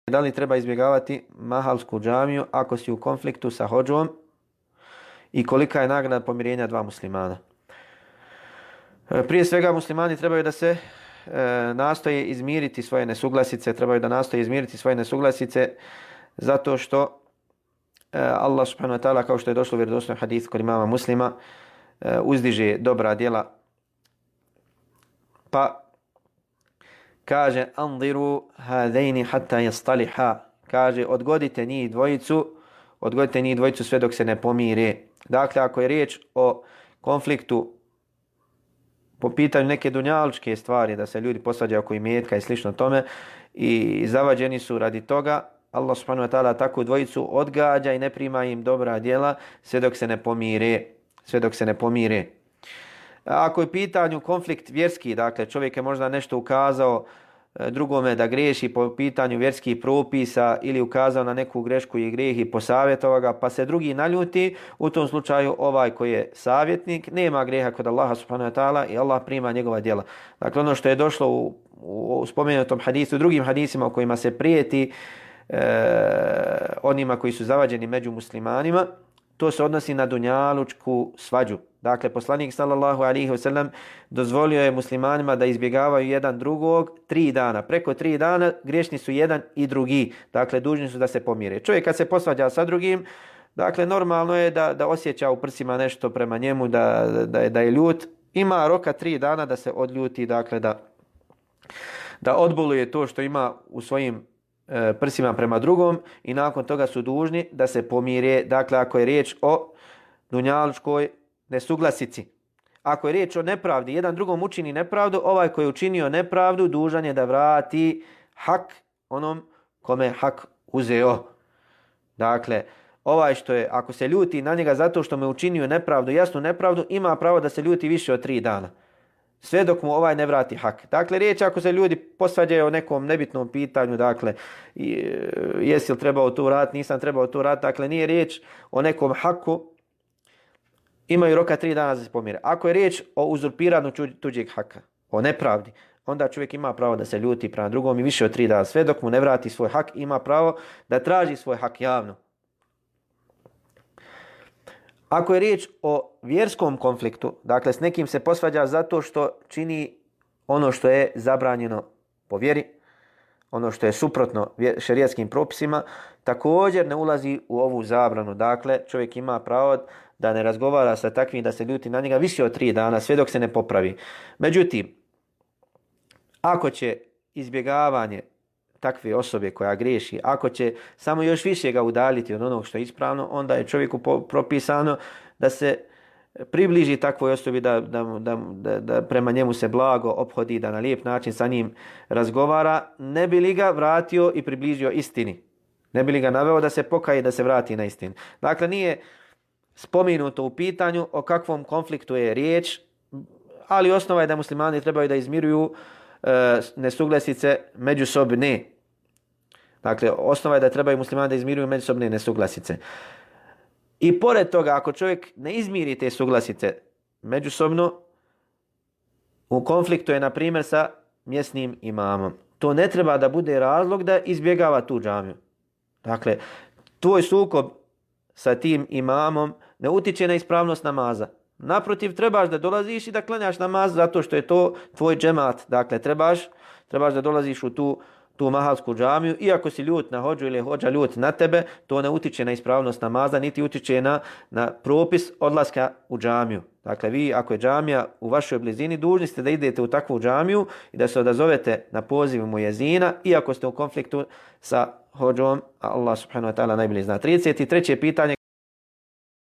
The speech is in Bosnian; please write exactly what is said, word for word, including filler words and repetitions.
Da li treba izbjegavati mahalsku džamiju ako si u konfliktu sa hodžom i kolika je nagrada pomirenja dva muslimana? Prije svega muslimani trebaju da se e, nastoje izmiriti svoje nesuglasice, trebaju da nastoje izmiriti svoje nesuglasice zato što e, Allah subhanahu wa ta'ala, kao što je došlo u vjerodostojnom hadisu kod imama Muslima, e, uzdiže dobra djela. Pa kaže anziru hadaini hatta yastaliha, kaže odgodite njih dvojicu, odgodite njih dvojicu sve dok se ne pomire. Dakle, ako je riječ o konfliktu po pitanju neke dunjalučke stvari, da se ljudi posvađaju oko imetka i slično tome i zavađeni su radi toga, Allah subhanahu wa ta'ala takvu dvojicu odgađa i ne prima im dobra djela sve dok se ne pomire, sve dok se ne pomire. Ako je pitanju konflikt vjerski, dakle čovjek je možda nešto ukazao drugome da greši po pitanju vjerskih propisa ili ukazao na neku grešku i grijeh i posavjetovao ga, pa se drugi naljuti, u tom slučaju ovaj koji je savjetnik nema grijeha kod Allaha subhanahu wa ta'ala i Allah prima njegova djela. Dakle, ono što je došlo u, u, u spomenutom hadisu, u drugim hadisima u kojima se prijeti e, onima koji su zavađeni među muslimanima, to se odnosi na dunjalučku svađu. Dakle, poslanik sallallahu alejhi ve sellem dozvolio je muslimanima da izbjegavaju jedan drugog tri dana. Preko tri dana griješni su jedan i drugi. Dakle, dužni su da se pomire. Čovjek kad se posvađa sa drugim, dakle, normalno je da, da osjeća u prsima nešto prema njemu, da, da, je, da je ljut. Ima roka tri dana da se odljuti, dakle, da, da odboluje to što ima u svojim e, prsima prema drugom i nakon toga su dužni da se pomire. Dakle, ako je riječ o dunjalučkoj nesuglasici. Ako je riječ o nepravdi, jedan drugom učini nepravdu, ovaj koji je učinio nepravdu dužan je da vrati hak onom kome je hak uzeo. Dakle, ovaj što je, ako se ljuti na njega zato što mu je učinio nepravdu, jasnu nepravdu, ima pravo da se ljuti više od tri dana. Sve dok mu ovaj ne vrati hak. Dakle, riječ ako se ljudi posvađaju o nekom nebitnom pitanju, dakle, jesi li trebao to raditi, nisam trebao to raditi, dakle, nije riječ o nekom haku, imaju roka tri dana da se pomire. Ako je riječ o uzurpiranju tuđeg haka, o nepravdi, onda čovjek ima pravo da se ljuti prema drugom i više od tri dana. Sve dok mu ne vrati svoj hak, ima pravo da traži svoj hak javno. Ako je riječ o vjerskom konfliktu, dakle s nekim se posvađa zato što čini ono što je zabranjeno po vjeri, ono što je suprotno šerijskim propisima, također ne ulazi u ovu zabranu. Dakle, čovjek ima pravo da ne razgovara sa takvim, da se ljuti na njega više od tri dana, sve dok se ne popravi. Međutim, ako će izbjegavanje takve osobe koja griješi, ako će samo još više ga udaljiti od onog što je ispravno, onda je čovjeku propisano da se približi takvoj osobi, da, da, da, da, da prema njemu se blago ophodi, da na lijep način sa njim razgovara, ne bi li ga vratio i približio istini. Ne bi li ga naveo da se pokaje i da se vrati na istinu. Dakle, nije spomenuto u pitanju o kakvom konfliktu je riječ, ali osnova je da muslimani trebaju da izmiruju e, nesuglasice međusobne. Dakle, osnova je da trebaju muslimani da izmiruju međusobne nesuglasice. I pored toga, ako čovjek ne izmiri te suglasice međusobno, u konfliktu je, na primjer, sa mjesnim imamom. To ne treba da bude razlog da izbjegava tu džamiju. Dakle, tvoj sukob sa tim imamom ne utiče na ispravnost namaza. Naprotiv, trebaš da dolaziš i da klanjaš namaz zato što je to tvoj džemat. Dakle, trebaš, trebaš da dolaziš u tu, tu mahalsku džamiju. Iako si ljut na hodžu ili je hodža ljut na tebe, to ne utiče na ispravnost namaza, niti utiče na, na propis odlaska u džamiju. Dakle, vi, ako je džamija u vašoj blizini, dužni ste da idete u takvu džamiju i da se odazovete na poziv mujezina, iako ste u konfliktu sa hodžom, a Allah subhanahu wa ta'ala najbolje zna. trideset treće pitanje.